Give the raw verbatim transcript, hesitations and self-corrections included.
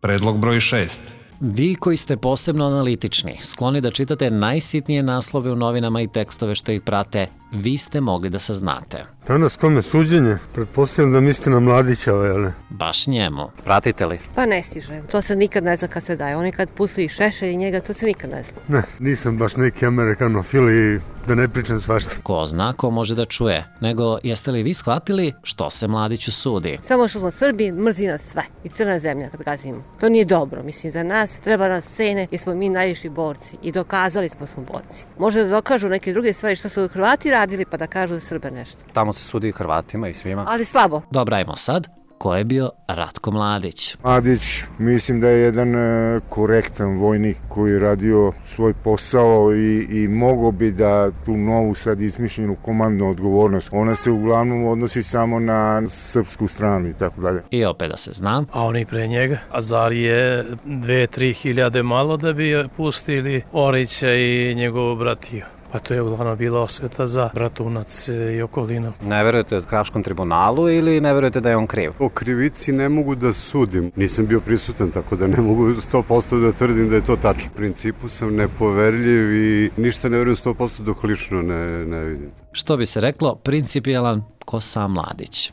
Predlog broj šest. Vi koji ste posebno analitični, skloni da čitate najsitnije naslove u novinama i tekstove što ih prate, vi ste mogli da saznate. Danas kome suđenje? Pretpostavljam da mislite na Mladića, ali... Baš njemu. Pratite li? Pa ne stižem. To se nikad ne zna kad se daje. Oni kad pusti Šešelj i njega, to se nikad ne zna. Ne, nisam baš neki amerikanofil i da ne pričam svašta. Ko zna, ko može da čuje. Nego, jeste li vi shvatili što se Mladiću sudi? Samo što smo Srbi, mrzi nas sve. I crna zemlja kad gazimo. To nije dobro. Mislim, za nas treba nas cene jer smo mi najviši borci. I dokazali smo smo borci. Može da dokažu neke druge stvari što su Hrvati radili pa da kažu da Srbe nešto. Tamo se sudi i Hrvatima i svima. Ali slabo. Dobro, ajmo sad. Ko je bio Ratko Mladić? Mladić, mislim da je jedan e, korektan vojnik koji je radio svoj posao i, i mogao bi da tu novu sad izmišljenu komandnu odgovornost, ona se uglavnom odnosi samo na srpsku stranu i tako dalje. I opet da se zna. A oni pre njega? A zar je dve, tri hiljade malo da bi pustili Orića i njegovu bratiju? Pa to je uglavnom bila osveta za Bratunac i okolinu. Ne verujete Haškom tribunalu ili ne verujete da je on kriv? O krivici ne mogu da sudim. Nisam bio prisutan, tako da ne mogu sto posto da tvrdim da je to tačno. U principu sam nepoverljiv i ništa ne verujem sto posto dok lično ne, ne vidim. Što bi se reklo, principijelan ko sam Mladić.